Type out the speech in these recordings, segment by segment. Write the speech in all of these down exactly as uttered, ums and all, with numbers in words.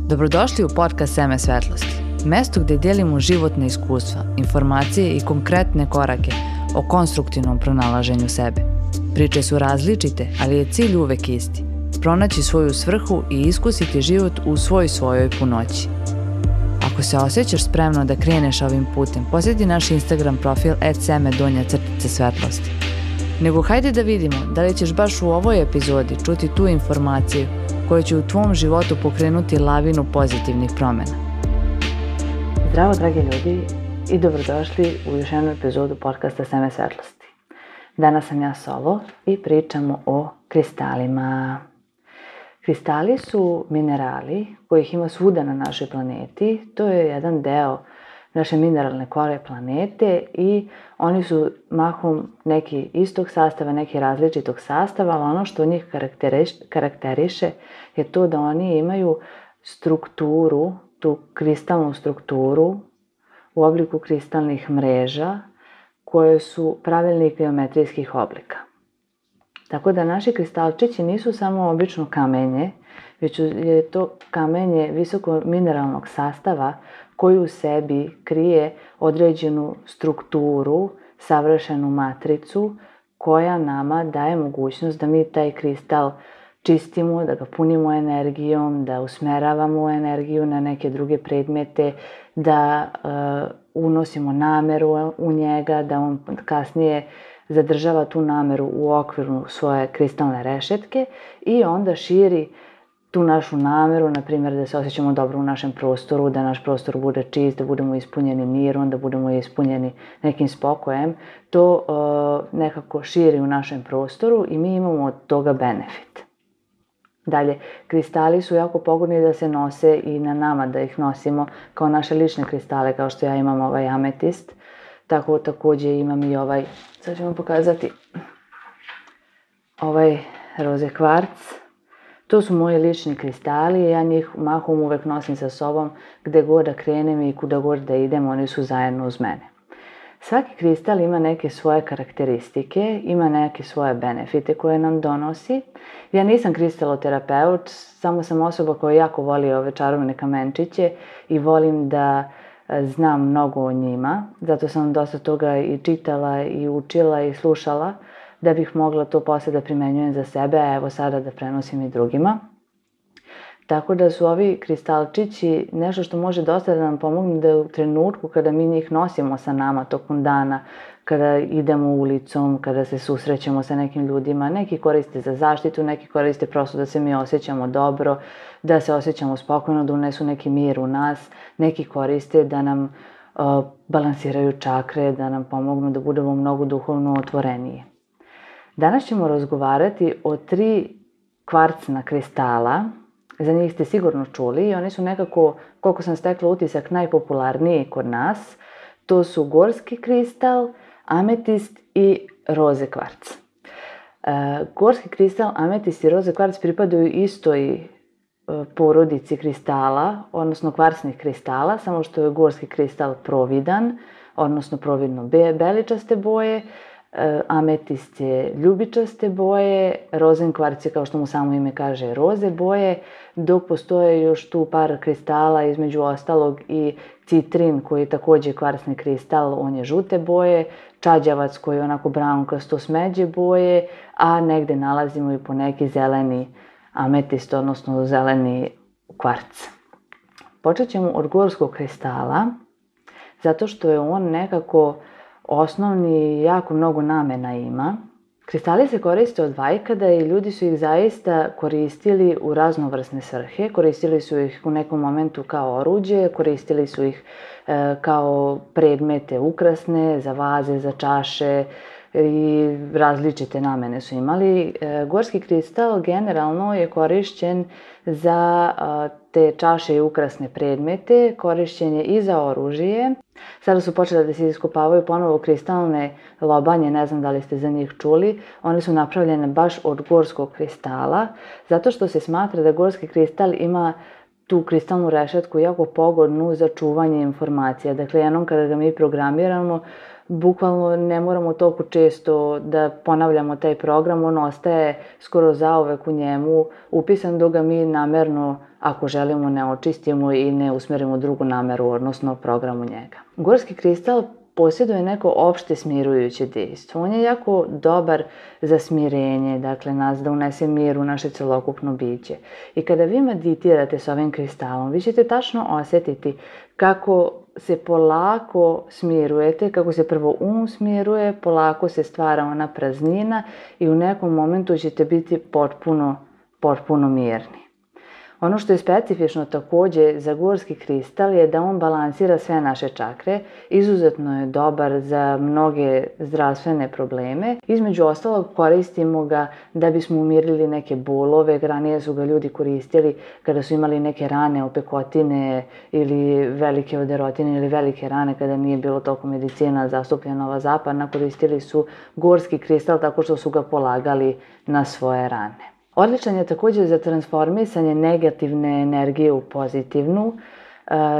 Dobrodošli u podcast Seme svetlosti, mesto gde delimo životne iskustva, informacije i konkretne korake o konstruktivnom pronalaženju sebe. Priče su različite, ali je cilj uvek isti. Pronaći svoju svrhu i iskusiti život u svoj svojoj punoći. Ako se osjećaš spremno da kreneš ovim putem, posjeti naš Instagram profil et seme donja crtica svetlosti. Nego hajde da vidimo da li ćeš baš u ovoj epizodi čuti tu informaciju koja će u tvom životu pokrenuti lavinu pozitivnih promjena. Zdravo dragi ljudi i dobrodošli u još jednu epizodu podcasta Seme svetlosti. Danas sam ja solo i pričamo o kristalima. Kristali su minerali kojih ima svuda na našoj planeti. To je jedan deo naše mineralne kore planete i oni su mahom neki istog sastava, neki različitog sastava, ali ono što njih karakteriše je to da oni imaju strukturu, tu kristalnu strukturu u obliku kristalnih mreža koje su pravilnih geometrijskih oblika. Tako da naši kristalčići nisu samo obično kamenje, već je to kamenje visoko mineralnog sastava koji u sebi krije određenu strukturu, savršenu matricu koja nama daje mogućnost da mi taj kristal čistimo, da ga punimo energijom, da usmeravamo energiju na neke druge predmete, da uh, unosimo nameru u njega, da on kasnije zadržava tu nameru u okviru svoje kristalne rešetke i onda širi tu našu nameru, na primjer da se osjećamo dobro u našem prostoru, da naš prostor bude čist, da budemo ispunjeni mirom, da budemo ispunjeni nekim spokojem. To uh, nekako širi u našem prostoru i mi imamo od toga benefit. Dalje, kristali su jako pogodni da se nose i na nama, da ih nosimo kao naše lične kristale, kao što ja imam ovaj ametist. Tako također imam i ovaj, sad ću vam pokazati, ovaj roze kvarc. To su moji lični kristali i ja njih mahom uvek nosim sa sobom gde god da krenem i kuda god da idem, oni su zajedno uz mene. Svaki kristal ima neke svoje karakteristike, ima neke svoje benefite koje nam donosi. Ja nisam kristaloterapeut, samo sam osoba koja jako voli ove čarobne kamenčiće i volim da znam mnogo o njima. Zato sam dosta toga i čitala i učila i slušala da bih mogla to posle da primenjujem za sebe, a evo sada da prenosim i drugima. Tako da su ovi kristalčići nešto što može dosta da nam pomogne da u trenutku kada mi njih nosimo sa nama tokom dana, kada idemo ulicom, kada se susrećemo sa nekim ljudima, neki koriste za zaštitu, neki koriste prosto da se mi osjećamo dobro, da se osjećamo spokojno, da unesu neki mir u nas, neki koriste da nam uh, balansiraju čakre, da nam pomognu da budemo mnogo duhovno otvoreniji. Danas ćemo razgovarati o tri kvarcna kristala. Za njih ste sigurno čuli i oni su nekako, koliko sam stekla utisak, najpopularniji kod nas. To su gorski kristal, ametist i roze kvarc. E, gorski kristal, ametist i roze kvarc pripadaju istoj e, porodici kristala, odnosno kvarcnih kristala, samo što je gorski kristal providan, odnosno providno be, beličaste boje, ametist je ljubičaste boje, rozen kvarc je, kao što mu samo ime kaže, roze boje, dok postoje još tu par kristala, između ostalog i citrin koji je također kvarcni kristal, on je žute boje, čađavac koji je onako braunkasto smeđe boje, a negde nalazimo i po neki zeleni ametist, odnosno zeleni kvarc. Počet ćemo od gorskog kristala, zato što je on nekako osnovni, jako mnogo namena ima. Kristali se koriste od vajkada i ljudi su ih zaista koristili u raznovrsne svrhe. Koristili su ih u nekom momentu kao oruđe, koristili su ih e, kao predmete ukrasne, za vaze, za čaše i različite namene su imali. E, gorski kristal generalno je korišćen za a, te čaše i ukrasne predmete, korišćen je i za oružje. Sada su počele da se iskopavaju ponovo kristalne lobanje, ne znam da li ste za njih čuli. One su napravljene baš od gorskog kristala, zato što se smatra da gorski kristal ima tu kristalnu rešetku jako pogodnu za čuvanje informacija. Dakle, jednom kada ga mi programiramo, bukvalno ne moramo toliko često da ponavljamo taj program, on ostaje skoro zauvek u njemu upisan dok ga mi namerno, ako želimo, ne očistimo i ne usmerimo drugu nameru, odnosno program u njega. Gorski kristal posjeduje neko opšte smirujuće dejstvo. On je jako dobar za smirenje, dakle nas da unese mir u naše celokupno biće. I kada vi meditirate s ovim kristalom, vi ćete tačno osetiti kako se polako smirujete, kako se prvo um smiruje, polako se stvara ona praznina i u nekom momentu ćete biti potpuno, potpuno mirni. Ono što je specifično takođe za gorski kristal je da on balansira sve naše čakre, izuzetno je dobar za mnoge zdravstvene probleme. Između ostalog koristimo ga da bismo umirili neke bolove, ranije su ga ljudi koristili kada su imali neke rane, opekotine ili velike oderotine ili velike rane kada nije bilo toliko medicina zastupljena ova zapadna, koristili su gorski kristal tako što su ga polagali na svoje rane. Odličan je također za transformisanje negativne energije u pozitivnu.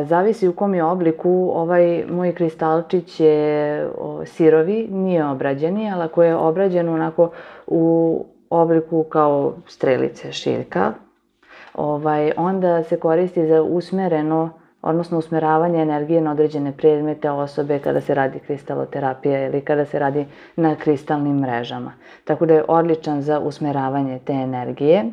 Zavisi u kom je obliku. Ovaj moj kristalčić je sirovi, nije obrađeni, ali ako je obrađen onako u obliku kao strelice, šiljka, onda se koristi za usmereno, odnosno usmeravanje energije na određene predmete, osobe, kada se radi kristaloterapija ili kada se radi na kristalnim mrežama. Tako da je odličan za usmeravanje te energije.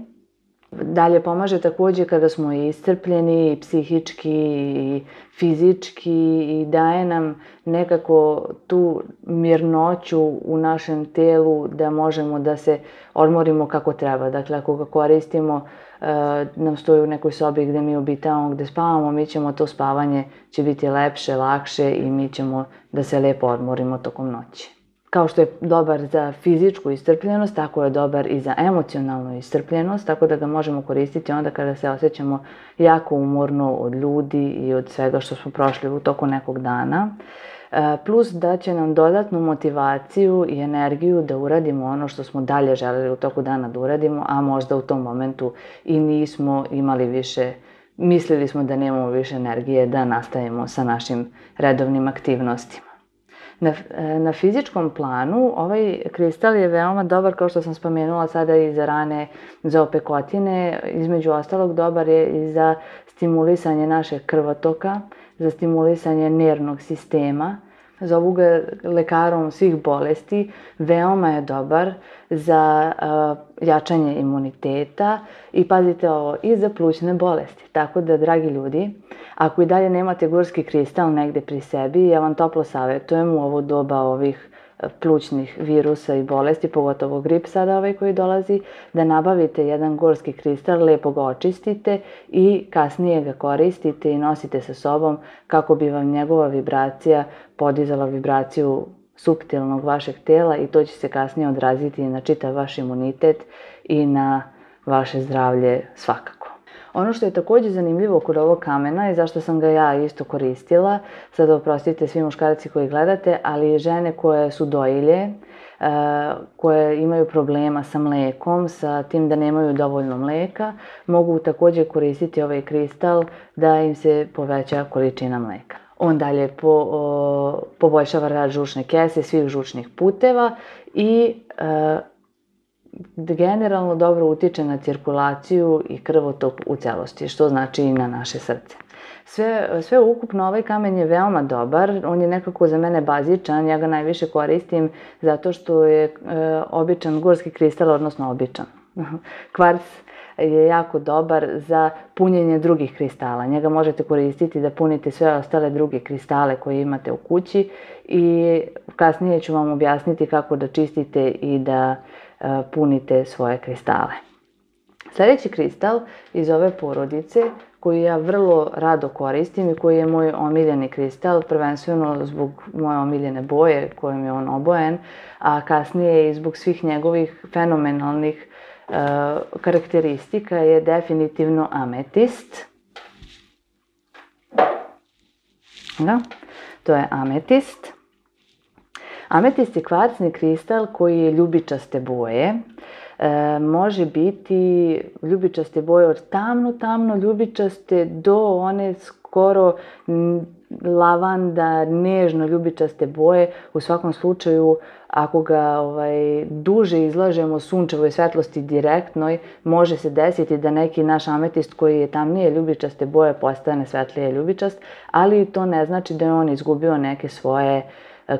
Dalje pomaže takođe kada smo iscrpljeni i psihički i fizički i daje nam nekako tu mirnoću u našem telu da možemo da se odmorimo kako treba. Dakle, ako ga koristimo, nam stoji u nekoj sobi gde mi obitavamo, gde spavamo, mi ćemo to spavanje će biti lepše, lakše i mi ćemo da se lepo odmorimo tokom noći. Kao što je dobar za fizičku iscrpljenost, tako je dobar i za emocionalnu iscrpljenost, tako da ga možemo koristiti onda kada se osjećamo jako umorno od ljudi i od svega što smo prošli u toku nekog dana. Plus da će nam dodatnu motivaciju i energiju da uradimo ono što smo dalje želeli u toku dana da uradimo, a možda u tom momentu i nismo imali više, mislili smo da nemamo više energije da nastavimo sa našim redovnim aktivnostima. Na, na fizičkom planu ovaj kristal je veoma dobar, kao što sam spomenula sada, i za rane, za opekotine. Između ostalog dobar je i za stimulisanje našeg krvotoka, za stimulisanje nervnog sistema. Zovu ga lekarom svih bolesti. Veoma je dobar za uh, jačanje imuniteta i, pazite ovo, i za plućne bolesti. Tako da, dragi ljudi, ako i dalje nemate gorski kristal negde pri sebi, ja vam toplo savjetujem u ovo doba ovih plućnih virusa i bolesti, pogotovo grip sada ovaj koji dolazi, da nabavite jedan gorski kristal, lepo ga očistite i kasnije ga koristite i nosite sa sobom kako bi vam njegova vibracija podizala vibraciju suptilnog vašeg tela i to će se kasnije odraziti na čitav vaš imunitet i na vaše zdravlje svakako. Ono što je također zanimljivo kod ovog kamena i zašto sam ga ja isto koristila, sada oprostite svi muškarci koji gledate, ali i žene koje su dojilje, koje imaju problema sa mlekom, sa tim da nemaju dovoljno mleka, mogu također koristiti ovaj kristal da im se poveća količina mleka. On dalje po, o, poboljšava rad žučne kese, svih žučnih puteva i e, generalno dobro utiče na cirkulaciju i krvotok u celosti, što znači i na naše srce. Sve, sve ukupno ovaj kamen je veoma dobar, on je nekako za mene bazičan, ja ga najviše koristim zato što je e, običan gorski kristal, odnosno običan. Kvarc je jako dobar za punjenje drugih kristala. Njega možete koristiti da punite sve ostale druge kristale koje imate u kući i kasnije ću vam objasniti kako da čistite i da uh, punite svoje kristale. Sljedeći kristal iz ove porodice koji ja vrlo rado koristim i koji je moj omiljeni kristal, prvenstveno zbog moje omiljene boje kojom je on obojen, a kasnije i zbog svih njegovih fenomenalnih Uh, karakteristika, je definitivno ametist. Da, to je ametist. Ametist je kvarcni kristal koji je ljubičaste boje. E, može biti ljubičaste boje od tamno, tamno ljubičaste do one skoro lavanda, nežno ljubičaste boje. U svakom slučaju, ako ga ovaj, duže izlažemo sunčevoj svetlosti direktnoj, može se desiti da neki naš ametist koji je tamnije ljubičaste boje postane svetlije ljubičast, ali to ne znači da je on izgubio neke svoje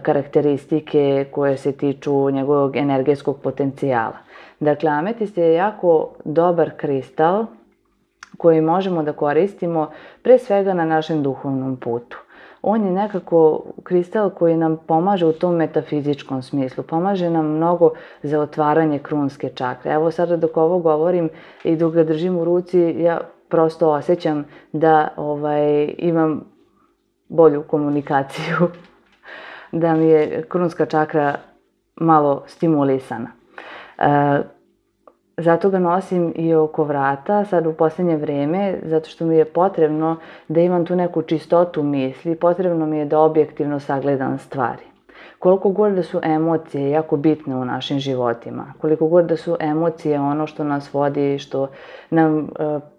karakteristike koje se tiču njegovog energetskog potencijala. Dakle, ametist je jako dobar kristal koji možemo da koristimo pre svega na našem duhovnom putu. On je nekako kristal koji nam pomaže u tom metafizičkom smislu, pomaže nam mnogo za otvaranje krunske čakre. Evo sada dok ovo govorim i dok ga držim u ruci, ja prosto osjećam da ovaj, imam bolju komunikaciju, da mi je krunska čakra malo stimulisana. E, Zato ga nosim i oko vrata, sad u posljednje vreme, zato što mi je potrebno da imam tu neku čistotu misli, potrebno mi je da objektivno sagledam stvari. Koliko god da su emocije jako bitne u našim životima, koliko god da su emocije ono što nas vodi, što nam e,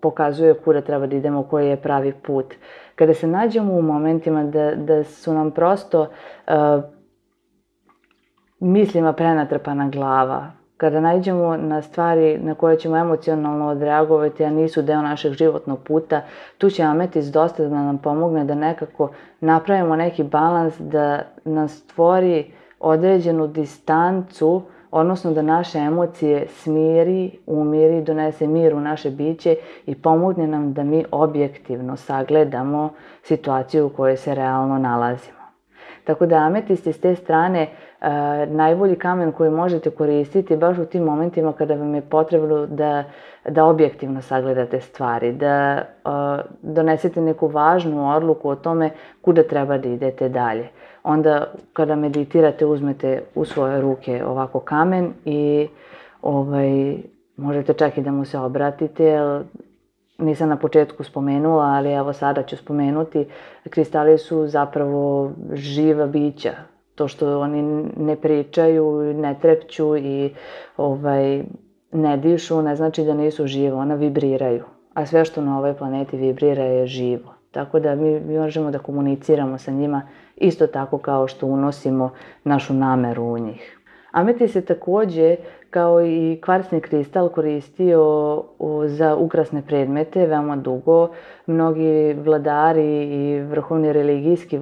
pokazuje kuda treba da idemo, koji je pravi put. Kada se nađemo u momentima da, da su nam prosto e, mislima prenatrpana glava, kada nađemo na stvari na koje ćemo emocionalno odreagovati, a nisu deo našeg životnog puta, tu će ametist dosta da nam pomogne da nekako napravimo neki balans, da nam stvori određenu distancu, odnosno da naše emocije smiri, umiri, donese mir u naše biće i pomogne nam da mi objektivno sagledamo situaciju u kojoj se realno nalazimo. Tako da ametist je s te strane uh, najbolji kamen koji možete koristiti baš u tim momentima kada vam je potrebno da, da objektivno sagledate stvari, da uh, donesete neku važnu odluku o tome kuda treba da idete dalje. Onda kada meditirate uzmete u svoje ruke ovako kamen i ovaj, možete čak i da mu se obratite, jer nisam na početku spomenula, ali evo sada ću spomenuti, kristali su zapravo živa bića. To što oni ne pričaju, ne trepću i ovaj, ne dišu, ne znači da nisu živo, ona vibriraju. A sve što na ovoj planeti vibrira je živo. Tako da mi, mi možemo da komuniciramo sa njima isto tako kao što unosimo našu nameru u njih. Ametist se takođe, kao i kvarcni kristal, koristio za ukrasne predmete veoma dugo. Mnogi vladari i vrhovne religijske,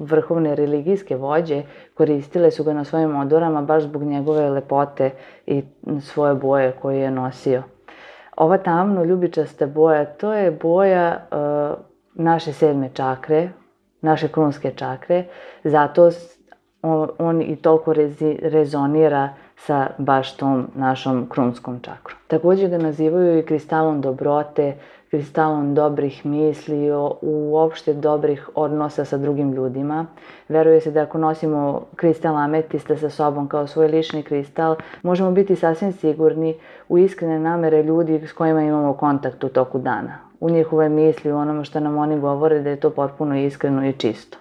vrhovne religijske vođe koristile su ga na svojim odorama baš zbog njegove lepote i svoje boje koje je nosio. Ova tamno ljubičasta boja, to je boja uh, naše sedme čakre, naše krunske čakre, zato on, on i toliko rezi, rezonira sa baš tom našom krunskom čakrom. Također ga nazivaju i kristalom dobrote, kristalom dobrih misli, uopšte dobrih odnosa sa drugim ljudima. Veruje se da ako nosimo kristal ametista sa sobom kao svoj lični kristal, možemo biti sasvim sigurni u iskrene namere ljudi s kojima imamo kontakt u toku dana. U njihove misli, u onome što nam oni govore, da je to potpuno iskreno i čisto.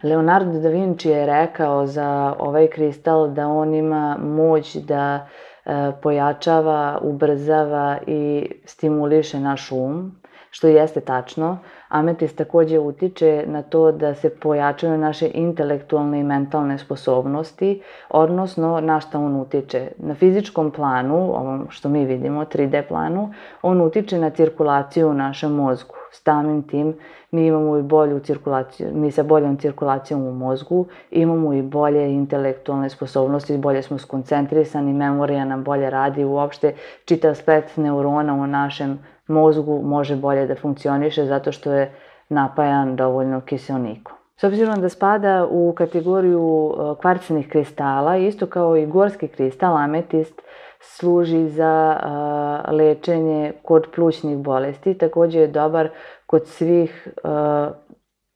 Leonardo da Vinci je rekao za ovaj kristal da on ima moć da e, pojačava, ubrzava i stimuliše naš um, što jeste tačno. Ametist također utiče na to da se pojačaju naše intelektualne i mentalne sposobnosti, odnosno na šta on utiče. Na fizičkom planu, ovom što mi vidimo, tri D planu, on utiče na cirkulaciju u našem mozgu. Samim tim mi imamo i bolju cirkulaciju, mi sa boljom cirkulacijom u mozgu imamo i bolje intelektualne sposobnosti, bolje smo skoncentrisani, memorija nam bolje radi, uopšte čitav splet neurona u našem mozgu može bolje da funkcioniše zato što je napajan dovoljno kiseonikom. S obzirom da spada u kategoriju kvarcnih kristala, isto kao i gorski kristal, ametist služi za uh, lečenje kod plućnih bolesti. Također je dobar kod svih uh,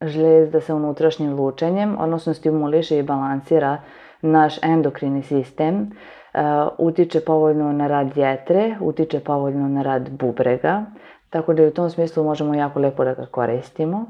žlezda sa unutrašnjim lučenjem, odnosno stimuliše i balansira naš endokrini sistem. Uh, utiče povoljno na rad jetre, utiče povoljno na rad bubrega, tako da u tom smislu možemo jako lepo da ga koristimo.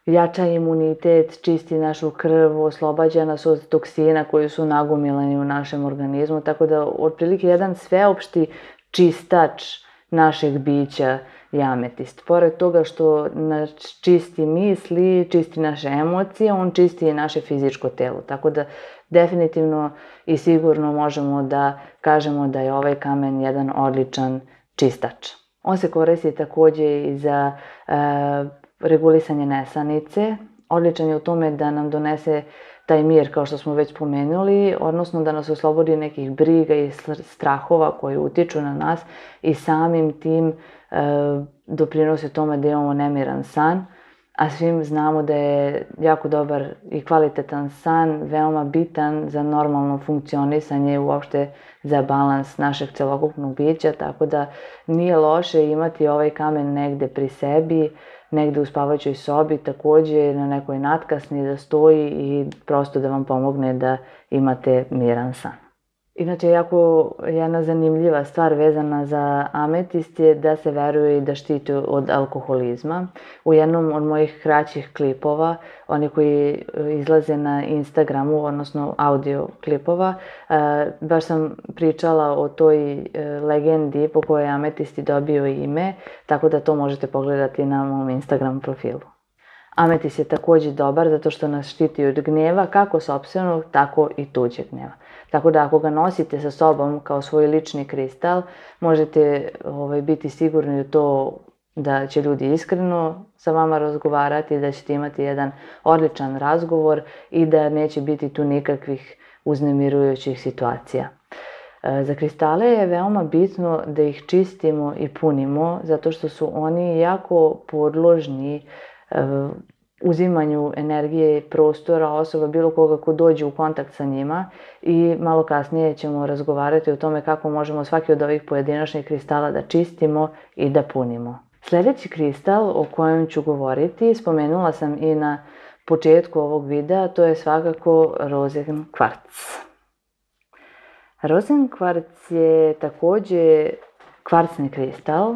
jača imunitet, čisti našu krv, oslobađa nas od toksina koji su nagomilani u našem organizmu, tako da otprilike jedan sveopšti čistač našeg bića je ametist. Pored toga što nas čisti misli, čisti naše emocije, on čisti i naše fizičko telo. Tako da definitivno i sigurno možemo da kažemo da je ovaj kamen jedan odličan čistač. On se koristi takođe i za e, regulisanje nesanice. Odličan je u tome da nam donese taj mir, kao što smo već pomenuli, odnosno da nas oslobodi nekih briga i strahova koji utiču na nas i samim tim e, doprinose tome da imamo nemiran san, a svim znamo da je jako dobar i kvalitetan san veoma bitan za normalno funkcionisanje i uopšte za balans našeg celokupnog bića, tako da nije loše imati ovaj kamen negde pri sebi, negde u spavaćoj sobi, takođe na nekoj natkasni da stoji i prosto da vam pomogne da imate miran san. Inače, jako jedna zanimljiva stvar vezana za ametist je da se veruje i da štiti od alkoholizma. U jednom od mojih kraćih klipova, oni koji izlaze na Instagramu, odnosno audio klipova, baš sam pričala o toj legendi po kojoj je ametist dobio ime, tako da to možete pogledati na mom Instagram profilu. Ametist je takođe dobar zato što nas štiti od gnjeva, kako sopstvenog, tako i tuđeg gnjeva. Tako da ako ga nosite sa sobom kao svoj lični kristal, možete ovaj, biti sigurni u to da će ljudi iskreno sa vama razgovarati, da ćete imati jedan odličan razgovor i da neće biti tu nikakvih uznemirujućih situacija. Za kristale je veoma bitno da ih čistimo i punimo, zato što su oni jako podložni uzimanju energije i prostora osoba, bilo koga ko dođe u kontakt sa njima, i malo kasnije ćemo razgovarati o tome kako možemo svaki od ovih pojedinačnih kristala da čistimo i da punimo. Sljedeći kristal o kojem ću govoriti, spomenula sam i na početku ovog videa, to je svakako rozen kvarc. Rozen kvarc je takođe kvarcni kristal,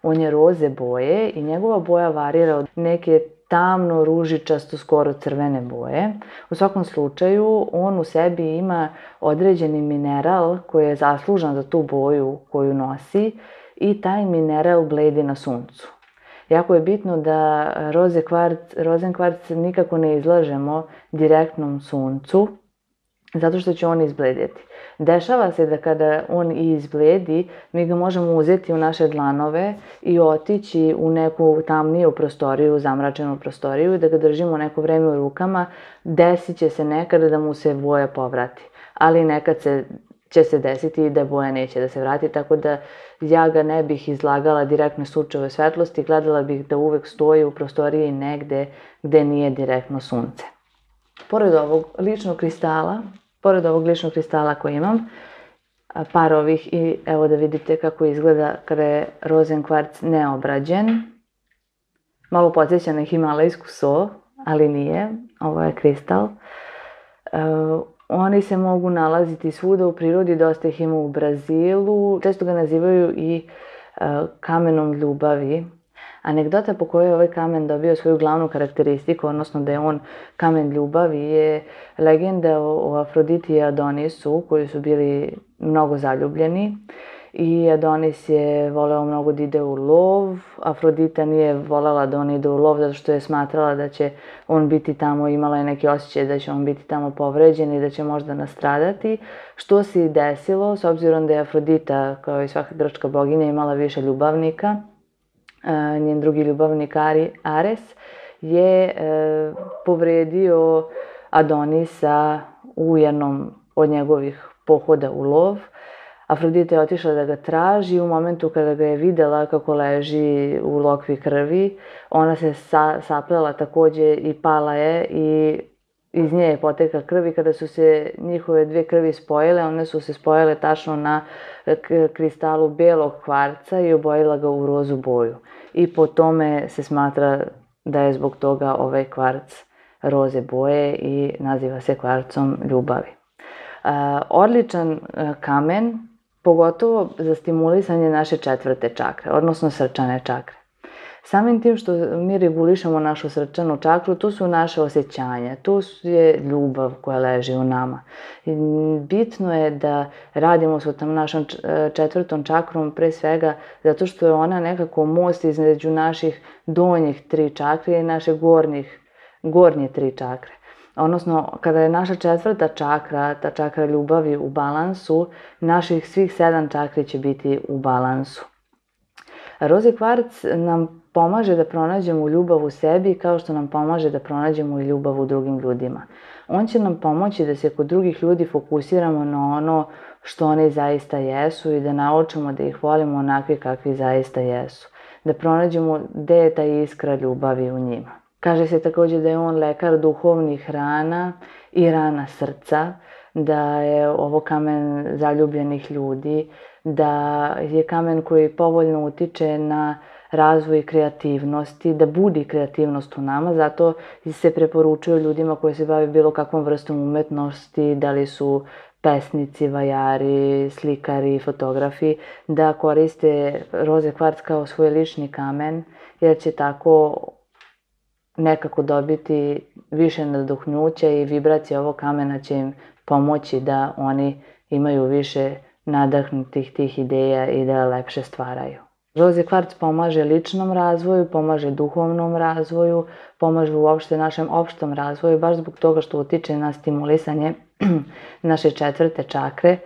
on je roze boje i njegova boja varira od neke tamno, ružičasto, skoro crvene boje. U svakom slučaju, on u sebi ima određeni mineral koji je zaslužan za tu boju koju nosi i taj mineral bledi na suncu. Jako je bitno da roze kvarc, rozen kvarc nikako ne izlažemo direktnom suncu, zato što će on izbledjeti. Dešava se da kada on i izbledi, mi ga možemo uzeti u naše dlanove i otići u neku tamniju prostoriju, zamračenu prostoriju, i da ga držimo neko vreme u rukama. Desit će se nekada da mu se boja povrati, ali nekad se, će se desiti i da boja neće da se vrati, tako da ja ga ne bih izlagala direktno sunčevoj svetlosti, gledala bih da uvek stoji u prostoriji negde gde nije direktno sunce. Pored ovog ličnog kristala, pored ovog ličnog kristala koji imam, par ovih, i evo da vidite kako izgleda kada je rozen kvarc neobrađen. Malo podsjeća na himalajsku so, ali nije, ovo je kristal. Oni se mogu nalaziti svuda u prirodi, dosta ih ima u Brazilu, često ga nazivaju i kamenom ljubavi. Anegdota po kojoj je ovaj kamen dobio svoju glavnu karakteristiku, odnosno da je on kamen ljubavi, je legenda o Afroditi i Adonisu, koji su bili mnogo zaljubljeni. I Adonis je voleo mnogo da ide u lov, Afrodita nije volela da on ide u lov zato što je smatrala da će on biti tamo, imala je neki osjećaj da će on biti tamo povređen i da će možda nastradati, što se i desilo, s obzirom da je Afrodita, kao i svaka grčka boginja, imala više ljubavnika. Njen drugi ljubavnik Ares je povredio Adonisa u jednom od njegovih pohoda u lov. Afrodita je otišla da ga traži, u momentu kada ga je videla kako leži u lokvi krvi, ona se saplela takođe i pala je i iz nje je potekla krv, i kada su se njihove dve krvi spojile, one su se spojile tačno na kristalu belog kvarca i obojila ga u rozu boju. I po tome se smatra da je zbog toga ovaj kvarc roze boje i naziva se kvarcom ljubavi. Odličan kamen, pogotovo za stimulisanje naše četvrte čakre, odnosno srčane čakre. Samim tim što mi regulišemo našu srčanu čakru, to su naše osjećanja, to je ljubav koja leži u nama. I bitno je da radimo sa tom našom četvrtom čakrom pre svega zato što je ona nekako most između naših donjih tri čakre i naše gornjih, gornje tri čakre. Odnosno, kada je naša četvrta čakra, ta čakra ljubavi u balansu, naših svih sedam čakri će biti u balansu. Roze kvarc nam pomaže da pronađemo ljubav u sebi kao što nam pomaže da pronađemo i ljubav u drugim ljudima. On će nam pomoći da se kod drugih ljudi fokusiramo na ono što oni zaista jesu i da naučimo da ih volimo onakvi kakvi zaista jesu. Da pronađemo gde je ta iskra ljubavi u njima. Kaže se također da je on lekar duhovnih rana i rana srca, da je ovo kamen zaljubljenih ljudi, da je kamen koji povoljno utiče na razvoj kreativnosti, da budi kreativnost u nama, zato se preporučuju ljudima koji se bave bilo kakvom vrstom umetnosti, da li su pesnici, vajari, slikari, fotografi, da koriste roze kvarc kao svoj lični kamen, jer će tako nekako dobiti više naduhnuća i vibracija ovog kamena će im pomoći da oni imaju više nadahnutih tih ideja i da lepše stvaraju. Roze kvarc pomaže ličnom razvoju, pomaže duhovnom razvoju, pomaže uopšte našem opštom razvoju, baš zbog toga što utiče na stimulisanje naše četvrte čakre.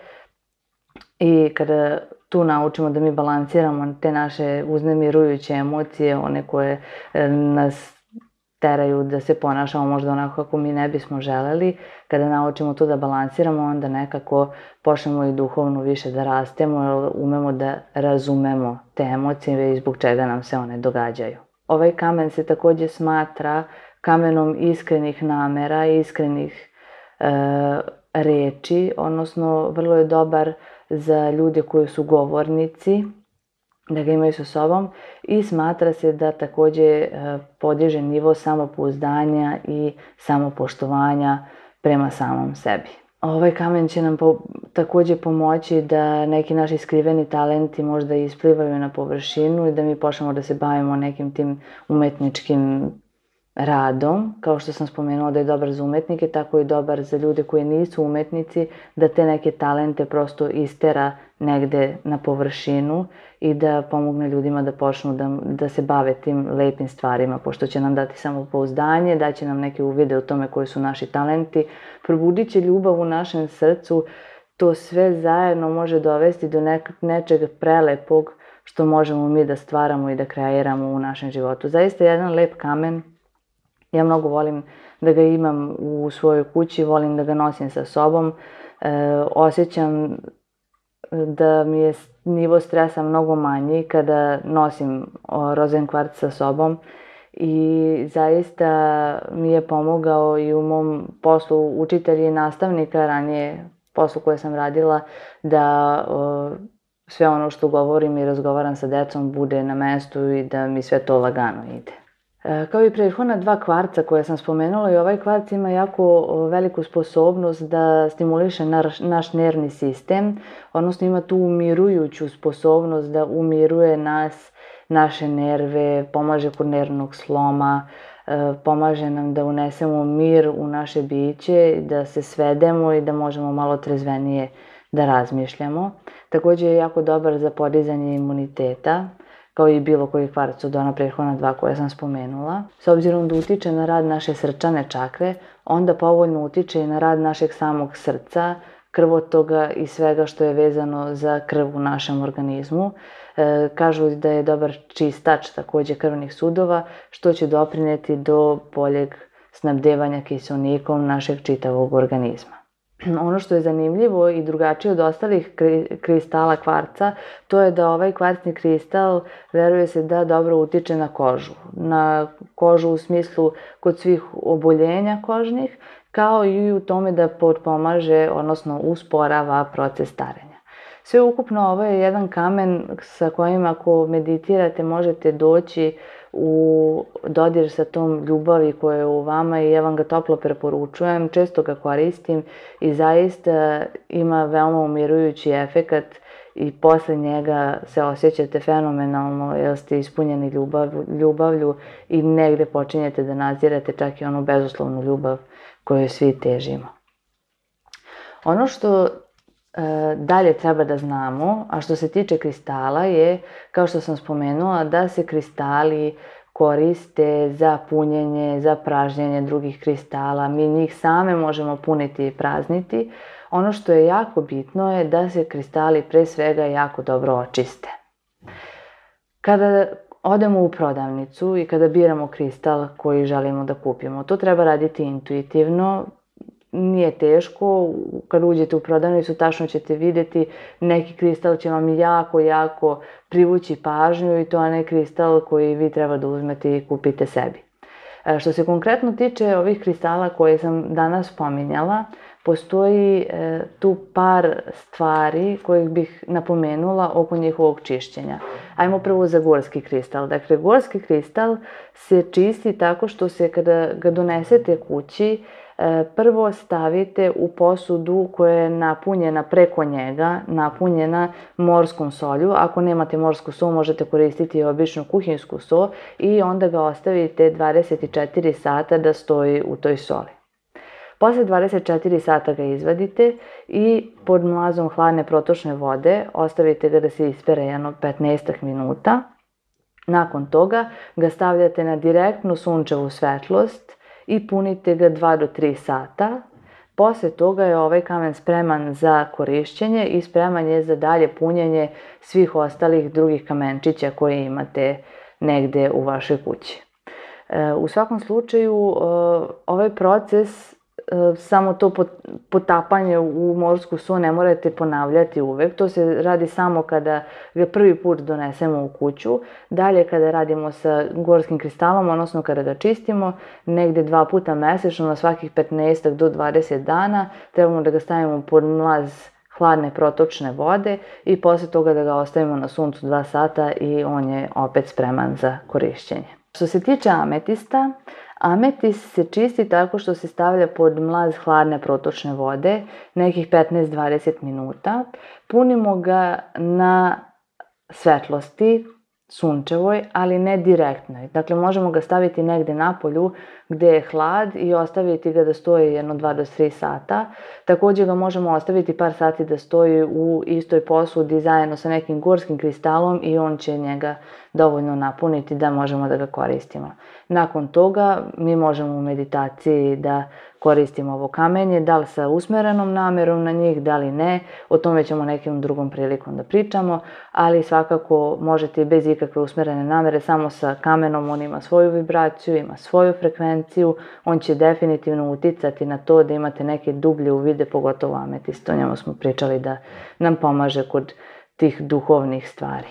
I kada tu naučimo da mi balansiramo te naše uznemirujuće emocije, one koje nas teraju da se ponašamo možda onako kako mi ne bismo želeli. Kada naučimo to da balansiramo, onda nekako počnemo i duhovno više da rastemo, jer umemo da razumemo te emocije i zbog čega nam se one događaju. Ovaj kamen se također smatra kamenom iskrenih namera, iskrenih e, reči, odnosno vrlo je dobar za ljude koji su govornici, da ga imaju sa sobom i smatra se da također podiže nivo samopouzdanja i samopoštovanja prema samom sebi. Ovaj kamen će nam po, također pomoći da neki naši skriveni talenti možda isplivaju na površinu i da mi počnemo da se bavimo nekim tim umetničkim radom. Kao što sam spomenula da je dobar za umetnike, tako i dobar za ljude koji nisu umetnici, da te neke talente prosto istera negde na površinu i da pomogne ljudima da počnu da, da se bave tim lepim stvarima, pošto će nam dati samopouzdanje, daće nam neke uvide o tome koji su naši talenti, probudit će ljubav u našem srcu, to sve zajedno može dovesti do nek, nečeg prelepog što možemo mi da stvaramo i da kreiramo u našem životu. Zaista jedan lep kamen. Ja mnogo volim da ga imam u svojoj kući, volim da ga nosim sa sobom. E, osjećam da mi je nivo stresa mnogo manji kada nosim rozen kvarc sa sobom i zaista mi je pomogao i u mom poslu učitelja i nastavnika, ranije poslu koje sam radila, da o, sve ono što govorim i razgovaram sa decom bude na mestu i da mi sve to lagano ide. Kao i prethodna dva kvarca koje sam spomenula, i ovaj kvarc ima jako veliku sposobnost da stimuliše naš nervni sistem, odnosno ima tu umirujuću sposobnost da umiruje nas, naše nerve, pomaže kod nervnog sloma, pomaže nam da unesemo mir u naše biće, da se svedemo i da možemo malo trezvenije da razmišljamo. Također je jako dobar za podizanje imuniteta, kao i bilo koji kvarc od ona prethodna dva koje sam spomenula. S obzirom da utiče na rad naše srčane čakre, onda povoljno utiče i na rad našeg samog srca, krvotoga i svega što je vezano za krv u našem organizmu. E, kažu da je dobar čistač također krvnih sudova, što će doprineti do boljeg snabdevanja kiseonikom našeg čitavog organizma. Ono što je zanimljivo i drugačije od ostalih kristala kvarca, to je da ovaj kvarcni kristal veruje se da dobro utiče na kožu. Na kožu u smislu kod svih oboljenja kožnih, kao i u tome da potpomaže, odnosno usporava proces starenja. Sve ukupno ovo je jedan kamen sa kojim ako meditirate možete doći u dodir sa tom ljubavi koja je u vama i ja vam ga toplo preporučujem, često ga koristim i zaista ima veoma umirujući efekat i posle njega se osjećate fenomenalno jer ste ispunjeni ljubav, ljubavlju i negde počinjete da nadzirate čak i onu bezuslovnu ljubav koju svi težimo. Ono što e, dalje treba da znamo, a što se tiče kristala je, kao što sam spomenula, da se kristali koriste za punjenje, za pražnjenje drugih kristala. Mi njih same možemo puniti i prazniti. Ono što je jako bitno je da se kristali pre svega jako dobro očiste. Kada odemo u prodavnicu i kada biramo kristal koji želimo da kupimo, to treba raditi intuitivno. Nije teško, kad uđete u prodavnicu tačno ćete vidjeti neki kristal će vam jako, jako privući pažnju i to je onaj kristal koji vi treba da uzmete i kupite sebi. Što se konkretno tiče ovih kristala koje sam danas spominjala, postoji tu par stvari kojih bih napomenula oko njihovog čišćenja. Ajmo prvo za gorski kristal. Dakle, gorski kristal se čisti tako što se kada ga donesete kući, prvo stavite u posudu koja je napunjena preko njega, napunjena morskom solju. Ako nemate morsku sol, možete koristiti običnu kuhinsku sol i onda ga ostavite dvadeset četiri sata da stoji u toj soli. Posle dvadeset četiri sata ga izvadite i pod mlazom hladne protočne vode ostavite ga da se ispere jedno petnaest minuta. Nakon toga ga stavljate na direktnu sunčevu svetlost i punite ga dva do tri sata. Posle toga je ovaj kamen spreman za korišćenje i spreman je za dalje punjenje svih ostalih drugih kamenčića koje imate negde u vašoj kući. U svakom slučaju, ovaj proces, samo to potapanje u morsku sol ne morate ponavljati uvek. To se radi samo kada ga prvi put donesemo u kuću. Dalje kada radimo sa gorskim kristalom, odnosno kada ga čistimo, negde dva puta mesečno na svakih petnaest do dvadeset dana, trebamo da ga stavimo pod mlaz hladne protočne vode i posle toga da ga ostavimo na suncu dva sata i on je opet spreman za korišćenje. Što se tiče ametista, ametist se čisti tako što se stavlja pod mlaz hladne protočne vode, nekih petnaest do dvadeset minuta. Punimo ga na svetlosti, sunčevoj, ali ne direktnoj. Dakle, možemo ga staviti negde napolju gde je hlad i ostaviti ga da stoji jedno dva do tri sata. Također ga možemo ostaviti par sati da stoji u istoj posudi zajedno sa nekim gorskim kristalom i on će njega dovoljno napuniti da možemo da ga koristimo. Nakon toga mi možemo u meditaciji da koristimo ovo kamenje, da li sa usmerenom namerom na njih, da li ne, o tome ćemo nekim drugom prilikom da pričamo, ali svakako možete i bez ikakve usmerene namere, samo sa kamenom, on ima svoju vibraciju, ima svoju frekvenciju, on će definitivno uticati na to da imate neke dublje uvide, pogotovo ametist, o njemu smo pričali da nam pomaže kod tih duhovnih stvari.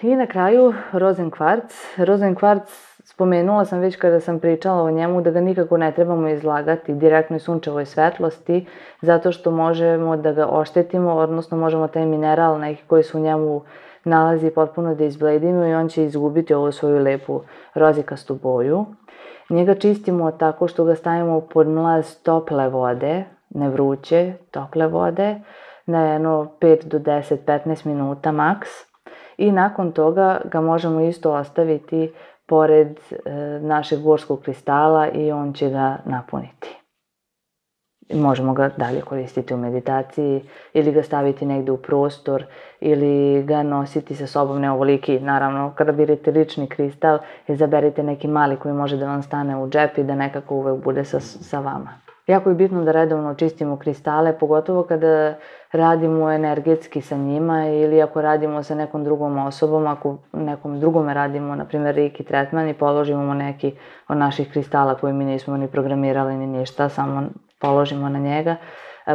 I na kraju rozenkvarc. Rozenkvarc spomenula sam već kada sam pričala o njemu da ga nikako ne trebamo izlagati direktnoj sunčevoj svetlosti zato što možemo da ga oštetimo, odnosno možemo taj mineral neki koji se u njemu nalazi potpuno da izbledimo i on će izgubiti ovu svoju lepu rozikastu boju. Njega čistimo tako što ga stavimo pod mlaz tople vode, ne vruće, tople vode, na jedno pet do deset, petnaest minuta maks. I nakon toga ga možemo isto ostaviti pored e, našeg gorskog kristala i on će ga napuniti. Možemo ga dalje koristiti u meditaciji ili ga staviti negde u prostor ili ga nositi sa sobom, ne ovoliki. Naravno, kada birate lični kristal, izaberite neki mali koji može da vam stane u džep i da nekako uvek bude sa, sa vama. Jako je bitno da redovno čistimo kristale, pogotovo kada radimo energetski sa njima ili ako radimo sa nekom drugom osobom, ako nekom drugome radimo, na primjer, reiki tretman i položimo neki od naših kristala koje mi nismo ni programirali ni ništa, samo položimo na njega.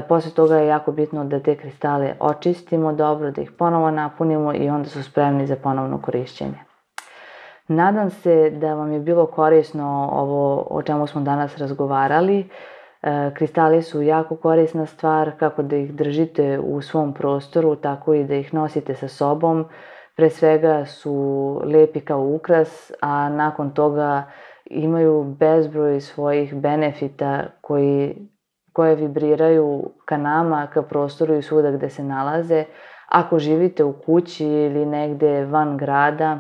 Posle toga je jako bitno da te kristale očistimo dobro, da ih ponovo napunimo i onda su spremni za ponovno korišćenje. Nadam se da vam je bilo korisno ovo o čemu smo danas razgovarali. Kristali su jako korisna stvar, kako da ih držite u svom prostoru, tako i da ih nosite sa sobom. Pre svega su lepi kao ukras, a nakon toga imaju bezbroj svojih benefita koji, koje vibriraju ka nama, ka prostoru i svuda gde se nalaze. Ako živite u kući ili negde van grada,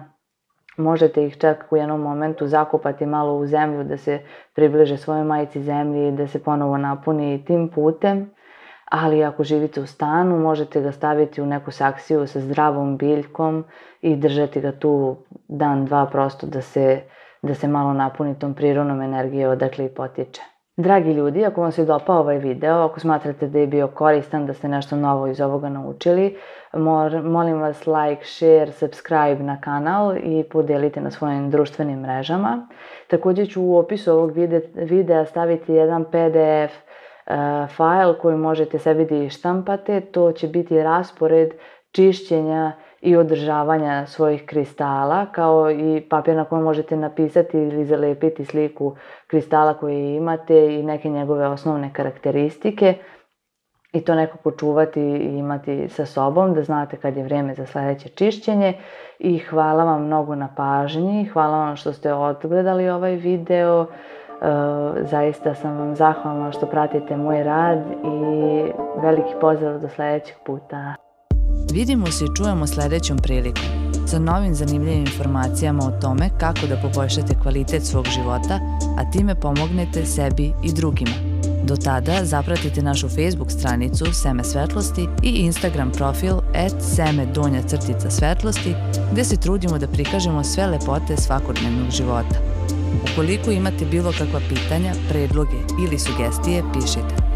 možete ih čak u jednom momentu zakopati malo u zemlju da se približe svojoj majci zemlji i da se ponovo napuni tim putem. Ali ako živite u stanu, možete ga staviti u neku saksiju sa zdravom biljkom i držati ga tu dan, dva, prosto da se, da se malo napuni tom prirodnom energijom odakle i potiče. Dragi ljudi, ako vam se dopao ovaj video, ako smatrate da je bio koristan, da ste nešto novo iz ovoga naučili, molim vas like, share, subscribe na kanal i podelite na svojim društvenim mrežama. Također ću u opisu ovog videa staviti jedan P D F fajl koji možete sebi da ištampate. To će biti raspored čišćenja i održavanja svojih kristala, kao i papir na kojem možete napisati ili zalepiti sliku kristala koje imate i neke njegove osnovne karakteristike i to nekako čuvati i imati sa sobom da znate kad je vreme za sledeće čišćenje. I hvala vam mnogo na pažnji, hvala vam što ste odgledali ovaj video. Zaista sam vam zahvalna što pratite moj rad i veliki pozdrav do sledećeg puta. Vidimo se i čujemo sledećom prilikom sa novim zanimljivim informacijama o tome kako da poboljšate kvalitet svog života, a time pomognete sebi i drugima. Do tada zapratite našu Facebook stranicu Seme svetlosti i Instagram profil at seme donja crtica svetlosti gde se trudimo da prikažemo sve lepote svakodnevnog života. Ukoliko imate bilo kakva pitanja, predloge ili sugestije, pišite.